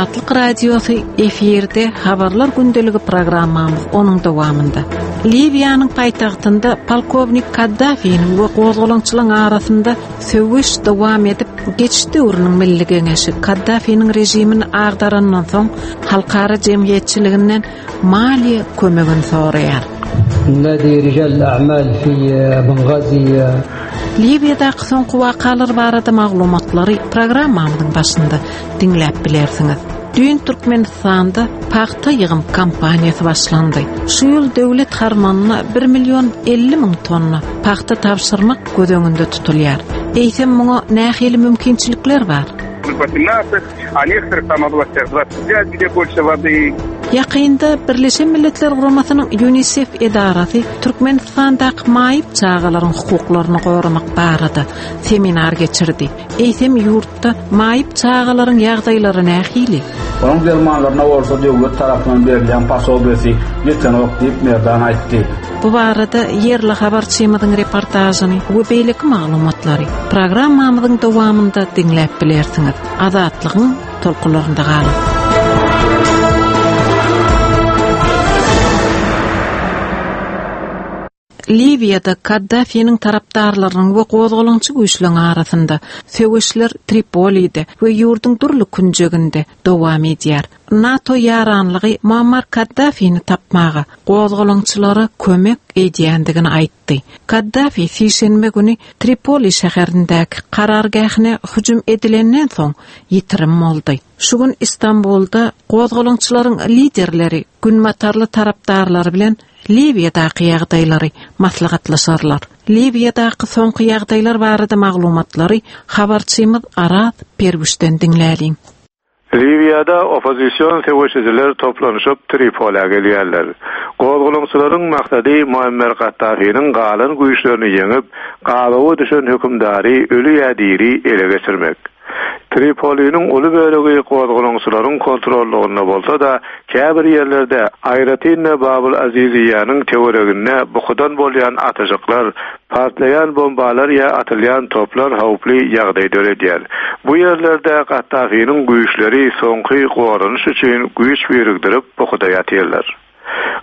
Azatlyk Radiosy efirde Habarlar gündeligi programmamyz onuň dowamynda. Liwiýanyň paýtagtynda polkownik Kaddafiniň we gozgalaňçylaryň arasynda söweş dowam edip, geçiş döwrüniň Milli Geňeşi Kaddafiniň režimini agdarandan soň halkara jemgyýetçiliginden maliýe kömegini soraýar. Nadi rijal a'mal fi Bengazi. Liwiýadaky soňky wakalar barada maglumatlary programmamyzyň başynda diňläp bilersiňiz. Düýn Türkmenistanda pagta ýygym kampaniýasy başlandy. Şu ýyl döwlet harmanyna 1 million 50 müň tonna pagta tabşyrmak göz öňünde tutulýar. Eýsem muňa nähili mümkinçilikler bar? A nektoryh tam oblastýah 25, gde bolşe wody. Ýakynda Birleşen Milletler Guramasynyň Ýunisef edarasy Türkmenistandaky maýyp çagalaryň hukuklaryny goramak barada seminar geçirdi. Eýsem ýurtda maýyp çagalaryň ýagdaýlary nähili? Onuň dermanlaryna bolsa döwlet tarapyndan berilýän posobiýasy ýetenok diýip, Merdan aýtdy. Bu barada ýerli habarçymyzyň reportažyny we beýleki maglumatlary programmamyzyň dowamynda diňläp bilersiňiz. Azatlygyň tolkunlarynda galyň. Liwiýada Kaddafiniň tarapdarlarynyň we gozgalaňçy güýçleriň arasynda söweşler Tripolide we ýurduň dürli künjeginde dowam edýär. NATO ýaranlygy Muammar Kaddafini tapmaga gozgalaňçylara kömek edýändigini aýtdy. Kaddafi sişenbe güni Tripoli şäherindäki karargähine hüjüm edilenden soň ýitirim boldy. Şu gün Istanbulda gozgalaňçylaryň liderleri günbatarly tarapdarlary bilen Liwiýadaky ýagdaýlary maslahatlaşarlar. Liwiýadaky soňky ýagdaýlar barada maglumatlary habarçymyz Araz Perwişden diňläliň. Liwiýada oppozision söweşijiler toplanyşyp Tripolä gelýärler. Gozgalaňçylaryň maksady Muammer Kaddafiniň galan güýçlerini ýeňip, gabawa düşen hökümdary öli ýa diri ele geçirmek. Tripoliniň uly bölegi gozgalaňçylaryň kontrollygynda bolsa-da, käbir ýerlerde, aýratyn-da Babul Aziziýanyň töwereginde bukudan bolýan atyjyklar, partlaýan bombalar ýa atylýan toplar howply ýagdaý döredýär. Bu ýerlerde Kaddafiniň güýçleri soňky goranyş üçin güýç birikdirip bukuda ýatyrlar.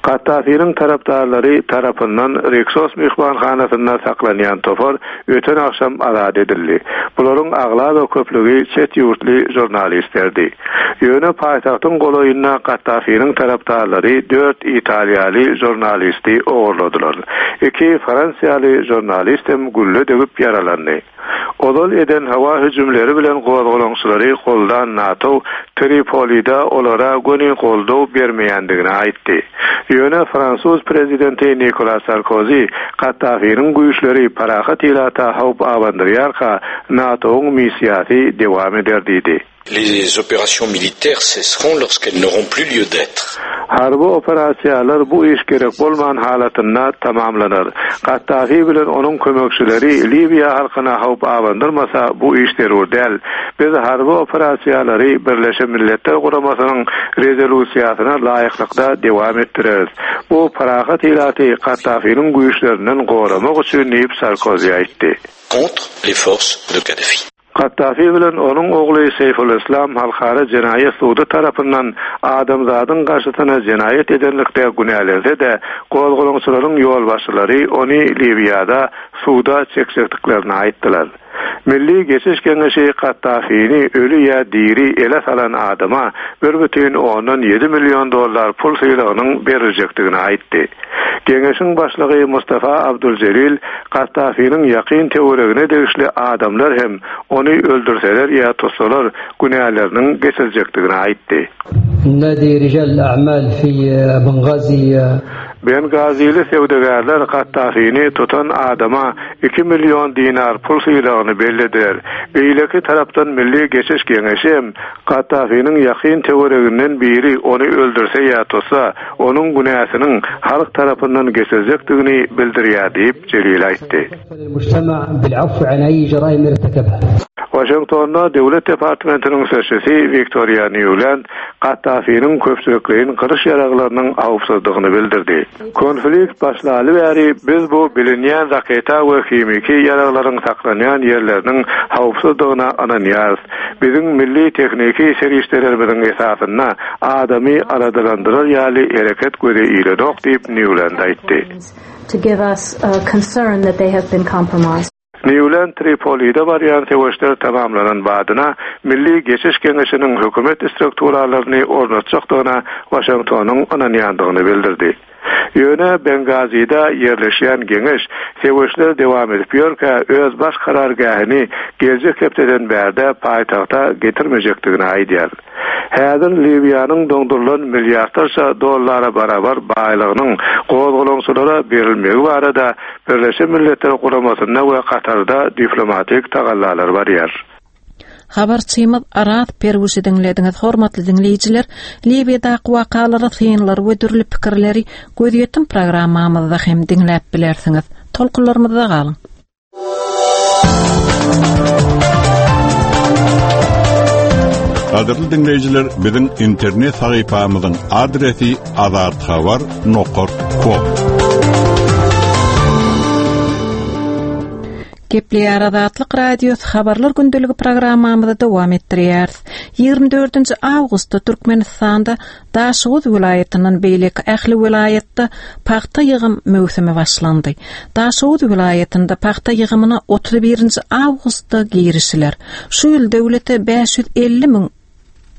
Kaddafiniň tarapdarlary tarapyndan Riksos myhmanhanasynda saklanýan topar öten agşam azat edildi. Bularyň aglaba köplügi çet ýurtly žurnalistlerdi. Ýöne paýtagtyň golaýynda Kaddafiniň tarapdarlary dört italiýaly žurnalisti ogurladylar. Iki fransiýaly žurnalist hem gülle degip ýaralandy. Ozal eden howa hüjümleri bilen gozgalaňçylary goldan NATO Tripolide olara göni goldaw bermeýändigini aýtdy. Ýöne fransuz prezidenti Nikolas Sarkozi Kaddafiniň güýçleri parahat ilata howp abandyrýarka NATO-yň missiýasy dewam eder diýdi. Les opérations militaires cesseront lorsqu'elles n'auront plus lieu d'être. Harby operasiýalar bu iş gerek bolman halatynda tamamlanar. Kaddafi bilen onuň kömekçileri Liwiýa halkyna howp abandyrmasa bu iş zerur däl. Biz harby operasiýalary Birleşen Milletler Guramasynyň rezolýusiýasyna laýyklykda dewam etdireris. Bu parahat ilaty Kaddafiniň güýçlerinden goramak üçin diýip Sarkozi aýtdy. Contre les forces de Kadhafi. Kaddafi bilen onuň ogly Seýfulyslam Halkara jenaýat sudy tarapyndan adamzadyň garşysyna jenaýat edenlikde günälense-de, gozgalaňçylaryň ýolbaşçylary ony Liwiýada suda çekjekdiklerini aýtdylar. Milli geçiş geňeşi Kaddafini öli ýa diri ele salan adama bir bütin ondan ýedi million dollar pul sylagynyň beriljekdigini aýtdy. Geňeşiň başlygy Mustafa Abduljelil Kaddafiniň ýakyn töweregine degişli adamlar hem ony öldürseler ýa tutsalar günäleriniň geçiljekdigini aýtdy. Nadi rijal a'mal fi Bengazi. Bengazili söwdagärler Kaddafini tutan adama iki million dinar pul sylagyny bellediler. Beýleki tarapdan Milli geçiş geňeşi hem Kaddafiniň ýakyn töwereginden biri ony öldürse ýa tutsa, onuň günäsiniň halk tarapyndan geçiljekdigini bildirýär diýip, Jelil aýtdy. Waşingtonda Döwlet departamentiniň sözçüsi Wiktoriýa Nýuland Kaddafiniň köpçülikleýin gyryş ýaraglarynyň howpsuzdygyny bildirdi. Konflikt başlaly bäri biz bu bilinýän raketa we himiki ýaraglaryň saklanýan ýerleriniň howpsuzdygyna ynanýarys. Biziň milli tehniki serişdelerimiziň esasynda adamy aladalandyrar ýaly hereket göze ilenok diýip, Nýuland aýtdy. Nýuland Tripolide barýan söweşler tamamlanan badyna Milli geçiş geňeşiniň hökümet strukturalaryny ornatjakdygyna Waşingtonyň ynanýandygyny bildirdi. Ýöne Bengazide ýerleşýän geňeş söweşler dowam edip ýörkä öz baş karargähini geljek hepdeden bärde paýtagta getirmejekdigini aýdýar. Häzir Liwiýanyň doňdurylan milliardlarça dollara barabar baýlygynyň gozgalaňçylara berilmegi barada Birleşen Milletler Guramasynda we Katarda diplomatik tagallalar barýar. Habarçymyz Araz Perwişi diňlediňiz. Hormatly diňleýjiler, Liwiýadaky wakalara synlary we dürli pikirleri Gözýetim programmamyzda hem diňläp bilersiňiz. Tolkunlarymyzda galyň! Gadyrly diňleýjiler, biziň internet sahypamyzyň adresi azathabar nokat kom. Gepleýär Azatlyk Radiosy habarlar gündeligi programmamyzy dowam etdirýäris. 24 awgustda Türkmenistanda Daşoguz welaýatyndan beýleki ähli welaýatda pagta ýygym möwsümi başlandy. Daşoguz welaýatynda pagta ýygymyna 31-nji awgustda girişiler. Şu ýyl döwlete 550 müň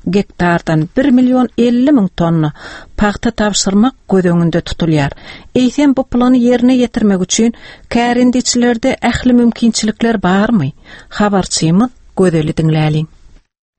gektardan 1 million 50 müň tonna pagta tabşyrmak göz öňünde tutulýar. Eýsem bu plany ýerine ýetirmek üçin kärendeçilerde ähli mümkinçilikler barmy? Habarçymyz Gözeli diňläliň.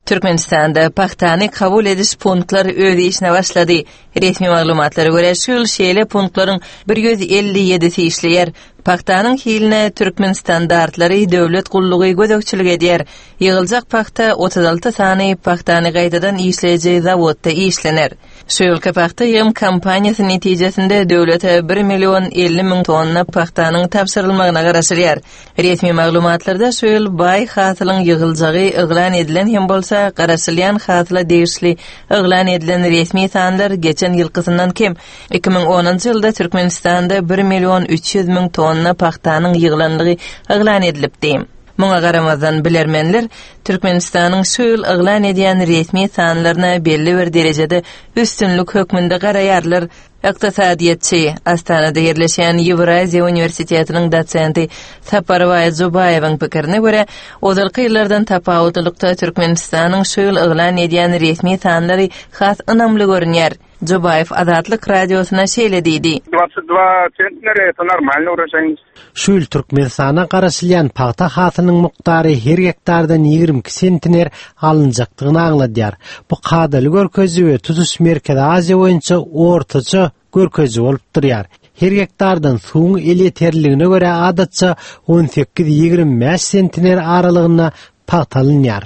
Türkmenistanda pagtany kabul ediş punktlary öz işine başlady. Resmi maglumatlara görä, şu ýyl şeýle punktlaryň 157-si işleýär. Pagtanyň hiline Türkmenstandartlary döwlet gullugy gözegçilik edýär. Ýygyljak pagta 36 sany pagtany gaýtadan işleýji zawodda işlener. Şu ýylky pagta ýygym kampaniýasy netijesinde döwlete bir million 50 müň tonna pagtanyň tabşyrylmagyna garaşylýar. Resmi maglumatlarda şu ýyl baý hasylyň ýygyljagy yglan edilen hem bolsa, garaşylýan hasyla degişli yglan edilen resmi sanlar geçen ýylkysyndan kem. 2010-njy ýylda Türkmenistanda bir million 300 müň tonna pagtanyň ýygylandygy yglan edilipdi. Muňa garamazdan, bilermenler Türkmenistanyň şu ýyl yglan edýän resmi sanlaryna belli bir derejede üstünlik hökmünde garaýarlar. Ykdysadyýetçi, Astanada ýerleşýän Ýewraziýa uniwersitetiniň dosenti Saparbaý Jubaýewiň pikirine görä, ozalky ýyllardan tapawutlylykda Türkmenistanyň şu ýyl yglan edýän resmi sanlary has ynamly görünýär. Jubaýew Azatlyk Radiosyna şeýle diýdi. Dwadsyt dwa sentnera eto normalnyý uražaýnost. Şu ýyl Türkmenistana garaşylýan pagta hasylynyň mukdary her gektardan 22 sentner alynjakdygyny aňladýar. Bu kadaly görkeziji we tutuş Merkezi Aziýa boýunça ortaça görkeziji bolup durýar. Her gektardan suwuň elýeterliligine görä adatça 18-25 sentner aralygynda pagta alynýar.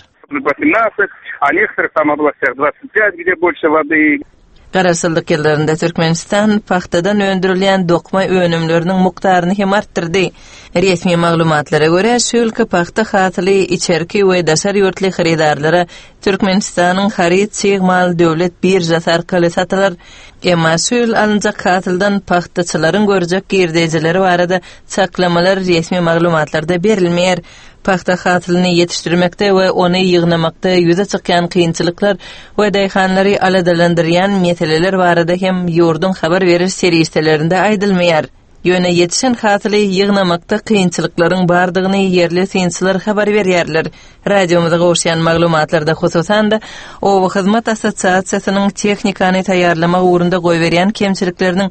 Garaşsyzlyk ýyllarynda Türkmenistan pagtadan öndürilýän dokma önümleriniň mukdaryny hem artdyrdy. Resmi maglumatlara görä, şu ýylky pagta hasyly içerki we daşary ýurtly hyrydarlara Türkmenistanyň haryt çig mal döwlet biržasy arkaly satylar. Emma şu ýyl alynjak hasyldan pagtaçylaryň görjek girdejileri barada çaklamalar resmi maglumatlarda berilmeýär. Pagta hasylyny ýetişdirmekde we ony ýygnamakda ýüze çykýan kynçylyklar we daýhanlary aladalandyrýan meseleler barada hem ýurduň habar beriş serişdelerinde aýdylmaýar. Ýöne ýetişen hasyly ýygnamakda kynçylyklaryň bardygyny ýerli synçylar habar berýärler. Radiomyza gowuşýan maglumatlarda, hususan-da, Oba hyzmat assosiasiýasynyň tehnikany taýýarlamak ugrunda goýberýän kemçilikleriniň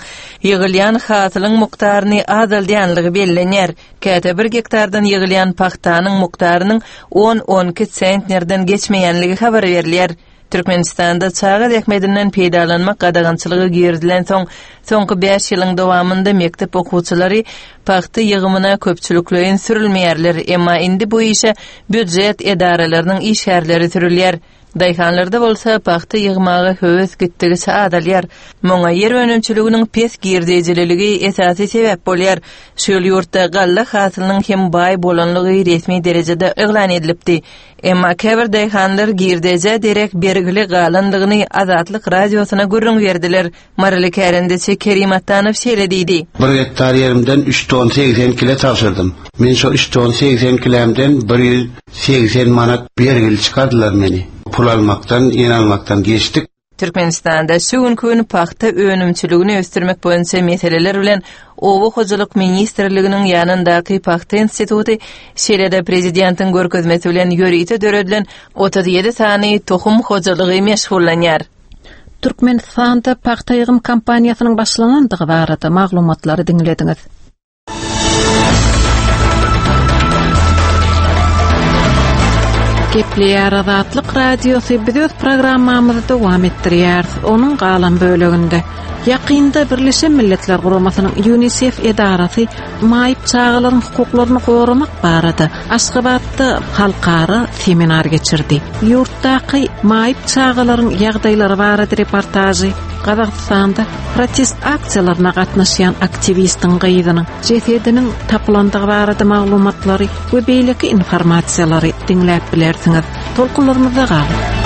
ýygylýan hasylyň mukdaryny azaldýanlygy bellenýär. Käte bir gektardan ýygylýan pagtanyň mukdarynyň on-on iki sentnerden geçmeýänligi habar berilýär. Türkmenistanda çaga zähmetinden peýdalanmak gadagançylygy girizilensoň, soňky bäş ýylyň dowamynda mekdep okuwçylary pagta ýygymyna köpçülikleýin sürülmeýärler, emma indi bu işe býujet edaralarynyň işgärleri sürülýär. Daýhanlarda bolsa pagta ýygmaga höwes gitdigiçe azalýar. Muňa ýer önümçiliginiň pes girdejililigi esasy sebäp bolýar. Şu ýyl ýurtda galla hasylynyň hem baý bolanlygy resmi derejede yglan edilipdi. Emma käbir daýhanlar girdejä derek bergili galandygyny Azatlyk Radiosyna gürrüň berdiler. Maryly kärendeçi Kerim Atdanow şeýle diýdi. Bir gektar ýerimden üç ton 80 kile tabşyrdym. Men şo üç ton 80 kilämden 180 manat bergili çykardylar meni. Pul almakdan, ýen almakdan geçdik. Türkmenistanda şu günki gün pagta önümçiligini ösdürmek boýunça meseleler bilen Oba hojalyk ministrliginiň ýanyndaky Pagta instituty, şeýle-de prezidentiň görkezmesi bilen ýörite döredilen 37 sany tohum hojalygy meşgullanýar. Türkmenistanda pagta ýygym kampaniýasynyň başlanandygy barada maglumatlary diňlediňiz. Gepleýär Azatlyk Radiosy biz öz programmamyzy dowam etdirýäris. Onuň galan böleginde ýakynda Birleşen Milletler Guramasynyň UNICEF edarasy maýyp çagalaryň hukuklaryny goramak barada Aşgabatda halkara seminar geçirdi. Ýurtdaky maýyp çagalaryň ýagdaýlary barada reportažy Gazagystanda protest aksiýalaryna gatnaşýan aktiwistiň gyzynyň jesediniň tapylandygy barada maglumatlary we beýleki informasiýalary diňläp bilersiňiz. Tolkunlarymyzda galyň.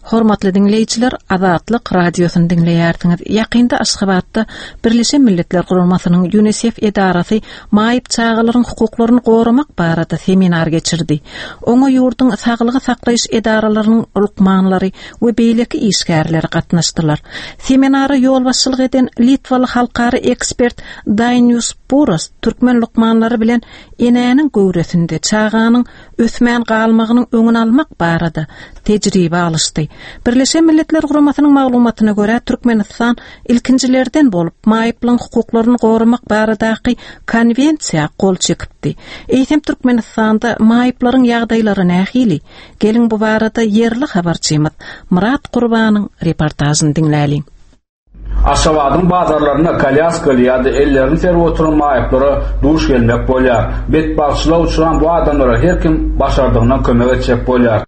Hormatly diňleýjiler, Azatlyk Radiosyny diňleýärsiňiz. Ýakynda Aşgabatda Birleşen Milletler Guramasynyň UNISEF edarasy maýyp çagalaryň hukuklaryny goramak barada seminar geçirdi. Oňa ýurduň saglygy saklaýyş edaralarynyň lukmanlary we beýleki işgärleri gatnaşdylar. Seminara ýolbaşçylyk eden litwaly halkara ekspert Dainius Puras türkmen lukmanlary bilen enäniň göwresinde çaganyň ösmän galmagynyň öňüni almak barada tejribe alyşdy. Birleşen Milletler Guramasynyň maglumatyna görä, Türkmenistan ilkinjilerden bolup maýyplaryň hukuklaryny goramak baradaky Konwensiýa gol çekipdi. Eýsem Türkmenistanda maýyplaryň ýagdaýlary nähili? Geliň bu barada ýerli habarçymyz Myrat Gurbanyň reportažyny diňläliň. Aşgabadyň bazarlarynda kolýaskaly ýa-da ellerini serip oturan maýyplara duş gelmek bolýar. Betbagtçylyga uçran bu adamlara her kim başardygyndan kömek etjek bolýar.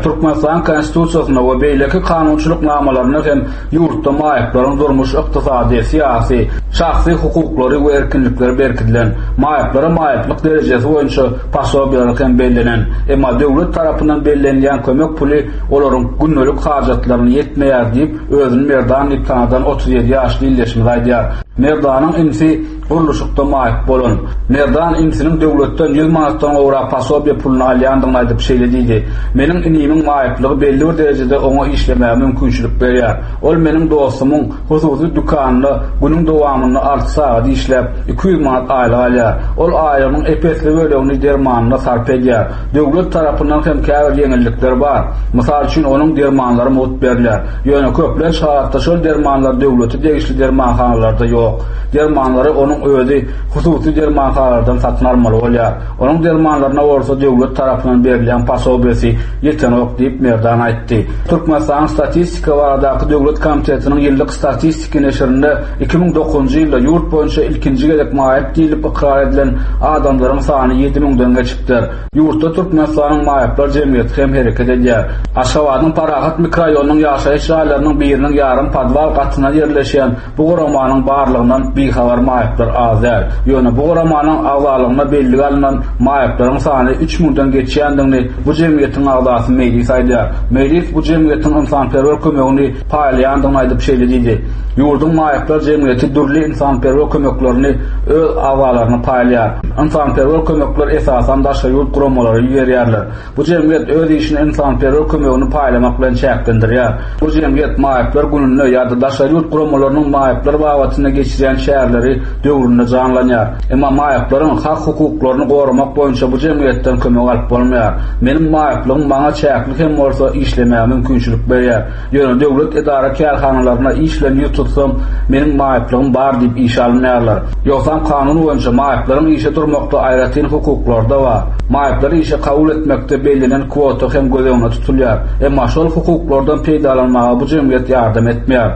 Türkmenistanyň Konstitusiýasynda we beýleki kanunçylyk namalarynda hem ýurtda maýyplaryň durmuş-ykdysady, syýasy, şahsy hukuklary we erkinlikleri berkidilen, maýyplara maýyplyk derejesi boýunça posobiýalar hem bellenen. Emma döwlet tarapyndan bellenilýän kömek puly olaryň gündelik hajatlaryna ýetmeýär diýip, Özüni Merdan diýip tanadan 37 ýaşly ildeşimiz aýdýar. Merdanyň inisi gurluşykda maýyp bolan. Merdan inisiniň döwletden 100 manatdan gowrak posobiýe puluny alýandygyny aýdyp şeýle diýdi, Meniň inimiň maýyplygy belli bir derejede oňa işlemäge mümkinçilik berýär. Ol meniň dostumyň hususy dükanynda günüň dowamynda alty sagat işläp, 200 manat aýlyk alýar. Ol aýlygynyň ep-esli bölegini dermanyna sarp edýär. Döwlet tarapyndan hem käbir ýeňillikler bar. Mysal üçin, onuň dermanlary mugt berilýär. Ýöne köplenç halatda şol dermanlar döwlete degişli dermanhanalarda ýok. Dermanlary onuň özi hususy dermanhanalardan satyn almaly bolýar. Onuň dermanlaryna bolsa döwlet tarapyndan berilýän posobiýesi ýetenok diýip, Merdan aýtdy. Türkmenistanyň Statistika baradaky döwlet komitetiniň ýyllyk statistiki neşirinde 2009-njy ýylda ýurt boýunça ilkinji gezek maýyp diýlip ykrar edilen adamlaryň sany ýedi müňden geçipdir. Ýurtda Türkmenistanyň maýyplar jemgyýeti hem hereket edýär. Aşgabadyň Parahat mikroraýonynyň ýaşaýyş jaýlarynyň biriniň ýarym podwal gatynda ýerleşýän bu guramanyň barlygyndan bihabar maýyplar az däl. Ýöne bu guramanyň agzalygyna bellige alnan maýyplaryň sany üç müňden geçýändigini bu jemgyýetiň agzasy Meýlis aýdýar. Meýlis bu jemgyýetiň ynsanperwer kömegini paýlaýandygyny aýdyp şeýle diýdi, Ýurduň maýyplar jemgyýeti dürli ynsanperwer kömeklerini öz agzalaryna paýlaýar. Ynsanperwer kömekler esasan daşary ýurt guramalary iberýärler. Bu jemgyýet öz işini ynsanperwer kömegini paýlamak bilen çäklendirýär. Bu jemgyýet maýyplar gününde ýa-da daşary ýurt guramalarynyň maýyplar babatynda geçirýän çäreleri döwründe janlanýar. Emma maýyplaryň hak-hukuklaryny goramak boýunça bu jemgyýetden kömek alyp bolmaýar. Meniň maýyplygym maňa çäkli hem bolsa işlemäge mümkinçilik berýär. Ýöne döwlet edara-kärhanalaryna iş bilen ýüz tutsam, meniň maýyplygym bar diýip işe alynmaýarlar. Ýogsam kanun boýunça maýyplaryň işe durmakda aýratyn hukuklary-da bar. Maýyplary işe kabul etmekde bellenen kwota hem göz öňünde tutulýar. Emma şol hukuklardan peýdalanmaga bu jemgyýet ýardam etmeýär.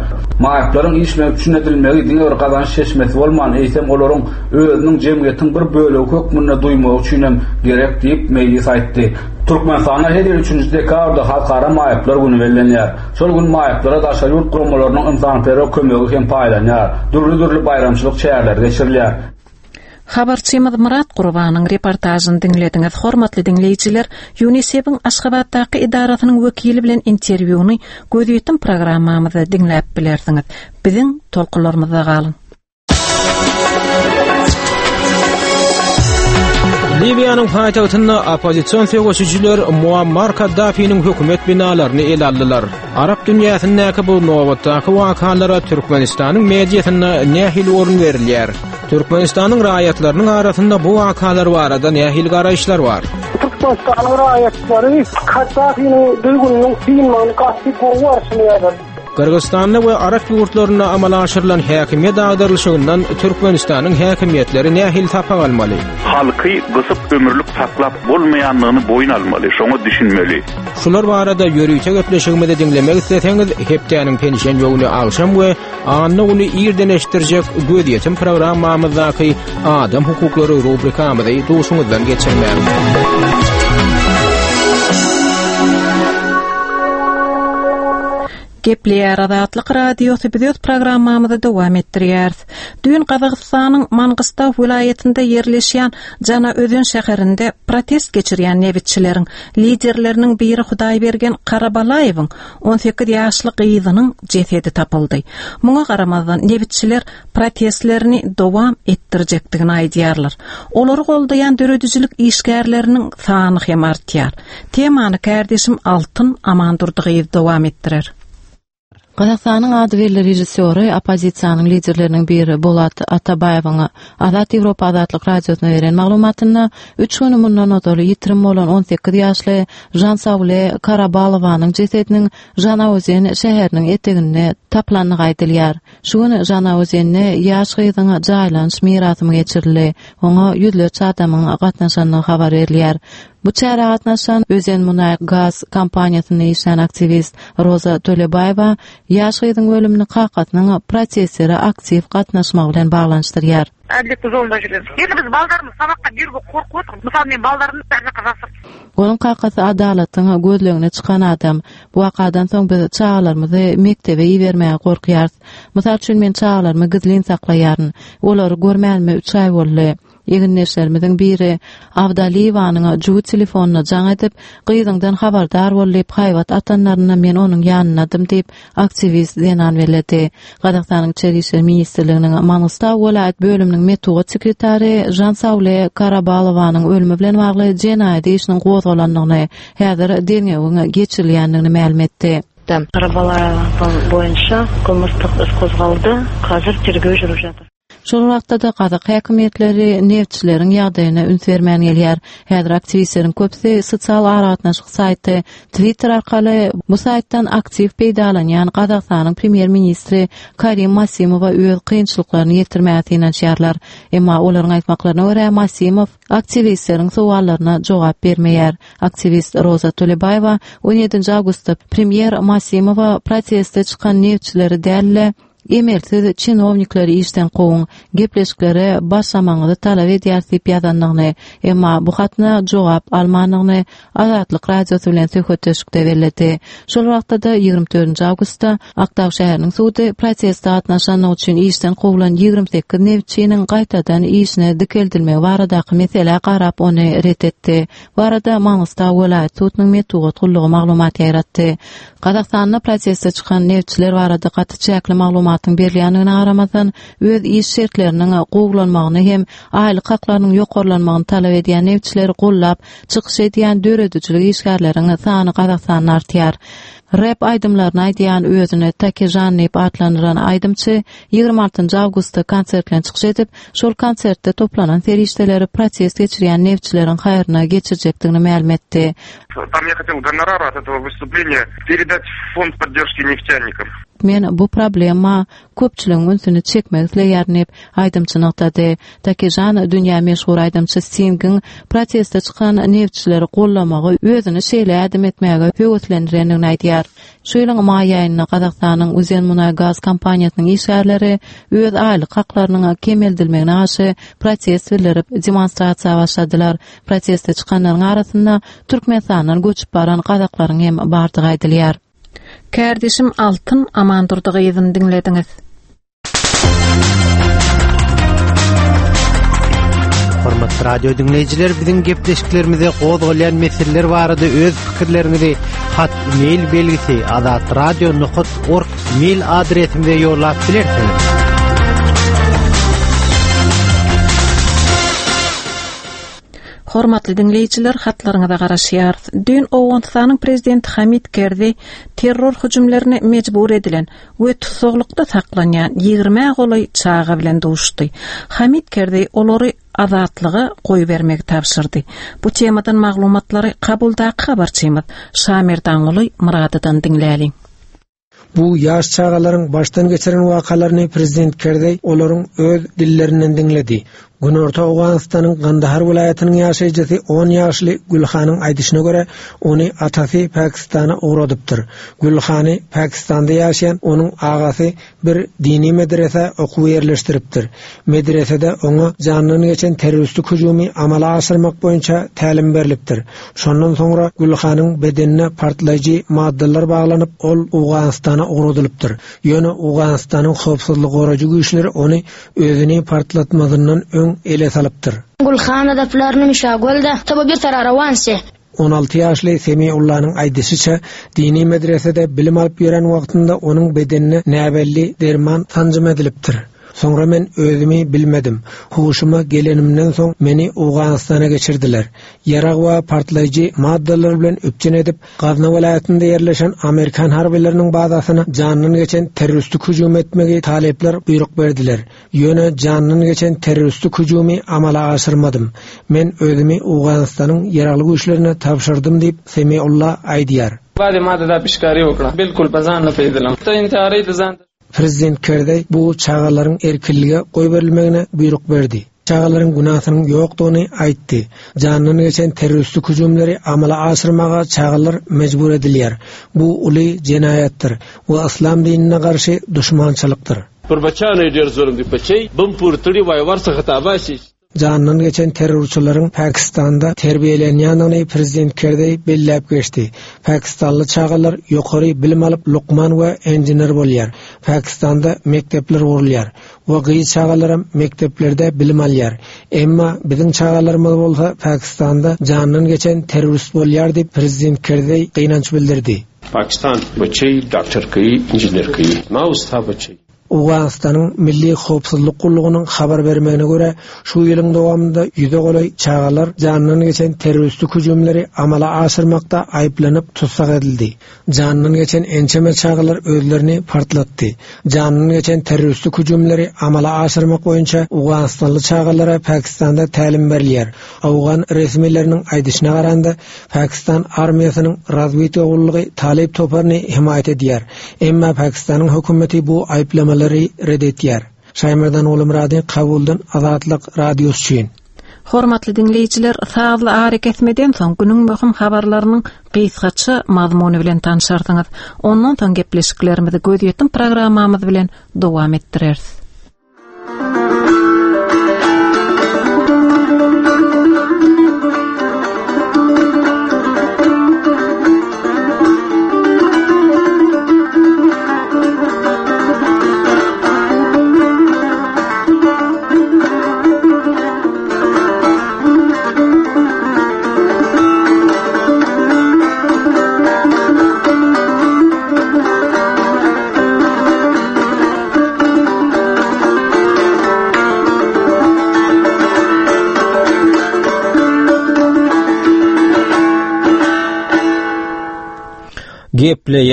Maýyplaryň iş bilen üpjün edilmegi diňe bir. bir gazanç çeşmesi bolman, eýsem olaryň özüniň jemgyýetiň bir bölegi hökmünde duýmagy üçin hem gerek diýip, Meýlis aýtdy. Türkmenistanda her ýyl üçünji dekabrda Halkara maýyplar güni bellenýär. Şol gün maýyplara daşary ýurt guramalarynyň ynsanperwer kömegi hem paýlanýar, dürli-dürli baýramçylyk çäreleri geçirilýär. Habarçymyz Myrat Gurbanyň reportažyny diňlediňiz. Hormatly diňleýjiler, UNISEF-iň Aşgabatdaky edarasynyň wekili bilen interwýuny Gözýetim programmamyzda diňläp bilersiňiz. Biziň tolkunlarymyzda galyň. Liwiýanyň paýtagtynda oppozision söweşijiler Muammar Kaddafiniň hökümet binalaryny ele aldylar. Arap dünýäsindäki bu nobatdaky wakalara Türkmenistanyň mediasynda nähili orun berilýär? Türkmenistanyň raýatlarynyň arasynda bu wakalar barada nähili garaýyşlar bar? Türkmenistanyň raýatlary Kaddafiniň düzgüniniň synmagyny gaty gowy garşylaýarlar. Gyrgyzystanda we arap ýurtlarynda amala aşyrylan häkimiýet agdarylyşygyndan Türkmenistanyň häkimiýetleri nähili sapak almaly? Halky gysyp ömürlik saklap bolmaýandygyny boýun almaly, şoňa düşünmeli. Şular barada ýörite gepleşigimizi diňlemek isleseňiz, hepdäniň penşenbe güni agşam we anna güni irden eşitdirjek Gözýetim programmamyzdaky Adam hukuklary rubrikamyzy duşuňyzdan geçirmäň. Gepleýär Azatlyk Radiosy biz öz programmamyzy dowam etdirýäris. Düýn Gazagystanyň Mangystau welaýatynda ýerleşýän Janaözen şäherinde protest geçirýän nebitçileriň liderleriniň biri Hudaýbergen Karabalaýewiň 18 ýaşly gyzynyň jesedi tapyldy. Muňa garamazdan, nebitçiler protestlerini dowam etdirjekdigini aýdýarlar. Olary goldaýan döredijilik işgärleriniň sany hem artýar. Temany kärdeşim Altyn Amandurdy gyz dowam etdirer. Gazagystanyň ady belli režissýory, oppozisiýanyň liderleriniň biri Bolat Atabaýewiň Azat Ýewropa Azatlyk Radiosyna beren maglumatynda, üç gün mundan ozal ýitirim bolan 18 ýaşly Žansaule Karabalowanyň jesediniň Žanaozen şäheriniň eteginde tapylandygy aýdylýar. Şu gün Žanaozende ýaş gyzyň jaýlanyş mirasymy geçirildi. Oňa ýüzlerçe adamyň gatnaşandygy habar berilýär. Bu çärä gatnaşan Özenmunaýgaz kompaniýasynda işlän aktiwist Roza Tölebaýewa ýaş gyzyň ölümini kakasynyň protestlere aktiw gatnaşmagy bilen baglanyşdyrýar. Ädillikde zorunda jürýäris. Ýöne biz baldarymyzy sabakga berübe gorkup otyrys. Mysal men baldarymyny bäri jaka jasyrys. Onuň kakasy adalatyň gözlegine çykan adam. Bu wakadan soň biz çagalarymyzy mekdebe ibermäge gorkýarys. Mysal üçin men çagalarymy gizlin saklaýaryn. Olary görmänime üç aý boldy. Egindeşlerimiziň biri Abdalyýewanyň jübi telefonyna jaň edip, gyzyňdan habardar bol diýip haýbat atanlarynda men onuň ýanyndadym diýip, aktiwist zenan belledi. Gazagystanyň Içeri işler ministrliginiň Mangystau welaýat bölüminiň metbugat sekretary Žansaule Karabalowanyň ölümi bilen bagly jenaýat işiniň gozgalandygyny, häzir derňewiň geçirilýändigini mälim etdi. Karabalaýewa boýunça kylmyşlyk is gozgaldy, hazir tergew jürüp jatyr. Şol wagtda-da gazak häkimiýetleri neftçileriň ýagdaýyna üns bermän gelýär. Häzir aktiwistleriň köpüsi sosial aragatnaşyk saýty Twitter arkaly bu saýtdan aktiw peýdalanýan Gazagystanyň premýer-ministri Karim Masimowa öz kynçylyklaryny ýetirmäge synanyşýarlar. Emma olaryň aýtmaklaryna görä, Masimow aktiwistleriň sowallaryna jogap bermeýär. Aktiwist Roza Tolebaýewa on ýedinji awgustda premýer Masimowa proteste çykan neftçileri däl-de, Emelsiz çinownikleri işden kowuň, gepleşiklere başlamagyňyzy talap edýäris diýip ýazandygyny, emma bu hatyna jogap almandygyny Azatlyk Radiosy bilen söhbetdeşlikde belledi. Şol wagtda-da, 24 nji awgustda Aktau şäheriniň sudy proteste gatnaşandygy üçin işden kowlan 28 nebitçiniň gaýtadan işine dikeldilmegi baradaky meselä garap ony ret etdi. Bu barada Mangystau welaýat sudunyň metbugat gullugy maglumat ýaýratdy. Gazagystanda proteste çykan nebitçiler barada gaty çäkli maglumatyň berilýändigine garamazdan, öz iş şertleriniň gowulanmagyny hem aýlyk haklarynyň ýokarlanmagyny talap edýän nebitçileri gollap çykyş edýän döredijilik işgärleriň sany Gazagystanda artýar. Rep aýdymlaryny aýdýan özüni Takežan diýip atlandyran aýdymçy 26 awgustda konsert bilen çykyş edip, şol konsertde toplanan serişdeleri protest geçirýän nebitçileriň haýryna geçirjekdigini mälim etdi. Tam я хотел гонорар от этого выступления передать в фонд поддержки нефтяников. edip, men bu problema köpçüligiň ünsüni çekmek isleýärin diýip, aýdymçy nygtady. Takežan dünýä meşhur aýdymçy Stingiň proteste çykan neftçileri goldamagy özüni şeýle ädim etmäge höweslendirendigini aýdýar. Şu ýylyň maý aýynda Gazagystanyň Uzenmunaýgaz kompaniýasynyň işgärleri öz aýlyk haklarynyň kemeldilmegine garşy protest bildirip, demonstrasiýa başladylar. Proteste çykanlaryň arasynda Türkmenistandan göçüp baran gazaklaryň hem bardygy aýdylýar. Kärdeşim Altyn Amandurdy gyzyny diňlediňiz. Hormatly radio diňleýjiler, biziň gepleşiklerimize gozgalýan meseleler barada öz pikirleriňizi hat mail belgisi azatradio.org mail adresimize ýollap bilersiňiz. Hormatly diňleýjiler, hatlaryňyza garaşýarys. Düýn Owganystanyň prezidenti Hamid Kerzi terror hüjümlerine mejbur edilen we tussaglykda saklanýan ýigrimä golaý çaga bilen duşdy. Hamid Kerzi olary azatlyga goýbermegi tabşyrdy. Bu temadan maglumatlary Kabuldaky habarçymyz Şamerdanguly Myradydan diňläliň. Bu ýaş çagalaryň başdan geçiren wakalaryny prezident Kerzeý olaryň öz dillerinden diňledi. Günorta Owganystanyň Gandahar welaýatynyň ýaşaýjysy on ýaşly Gülhanyň aýdyşyna görä, ony atasy Pakistana ugradypdyr. Gülhany Pakistanda ýaşaýan onuň agasy bir dini medresä okuwa ýerleşdiripdir. Medresede oňa jandan geçen terroristik hüjümi amala aşyrmak boýunça tälim berlipdir. Şondan soňra Gülhanyň bedenine partlaýjy maddalar baglanyp, ol Owganystana ugradylypdyr. Ýöne Owganystanyň howpsuzlygy goraýjy güýçleri ony özüni partlatmazyndan öň ele salypdyr. Gulhana da plarni mishagol da ته به بیرته را روان شې. 16 ýaşly Semiullanyň aýdyşyça, dini medresede bilim alyp ýören wagtynda onuň bedenine näbelli derman sanjym edilipdir. Soňra men özümi bilmedim. Huşuma gelenimden soň meni Owganystana geçirdiler. Ýarag we partlaýjy maddalar bilen üpjün edip, Gazna welaýatynda ýerleşen amerikan harbylarynyň bazasyna jandan geçen terroristik hüjüm etmegi talyplar buýruk berdiler. Ýöne jandan geçen terroristik hüjümi amala aşyrmadym. Men özümi Owganystanyň Ýaragly güýçlerine tabşyrdym diýip, Semiulla aýdýar. Prezident Kerzeý bu çagalaryň erkinlige goýberilmegine buýruk berdi. Çagalaryň günäsiniň ýokdugyny aýtdy. Jandan geçen terroristik hüjümleri amala aşyrmaga çagalar mejbur edilýär. Bu uly jenaýatdyr we yslam dinine garşy duşmançylykdyr. Jandan geçen terrorçylaryň Pakistanda terbiýelenýändigini prezident Kerzeý belläp geçdi. Pakistanly çagalar ýokary bilim alyp lukman we enjiner bolýar. Pakistanda mekdepler gurulýar we gyz çagalaram mekdeplerde bilim alýar. Emma biziň çagalarymyz bolsa Pakistanda jandan geçen terrorist bolýar diýip prezident Kerzeý gynanç bildirdi. پاکستان بچی ډاکټر کوي انجینر کوي ما او ستا بچی. Owganystanyň Milli howpsuzlyk gullugynyň habar bermegine görä, şu ýylyň dowamynda ýüze golaý çagalar janyndan geçen terroristik hüjümleri amala aşyrmakda aýyplanyp tussag edildi. Janyndan geçen ençeme çagalar özlerini partlatdy. Janyndan geçen terroristik hüjümleri amala aşyrmak boýunça owganystanly çagalara Pakistanda tälim berilýär. Owgan resmileriniň aýdyşyna garanda, Pakistan armiýasynyň razwedka gullugy Talyp toparyny hemaýat edýär. Emma Pakistanyň hökümeti bu aýyplamalary ret etýär. Şaýmerdan Gulumyrady Kabuldan Azatlyk Radiosy üçin. Hormatly diňleýjiler, sazly arakesmeden soň günüň möhüm habarlarynyň gysgaça mazmuny bilen tanşarsyňyz. Ondan soň gepleşiklerimizi gözýetim programmamyz bilen dowam etdireris. Gepleýär.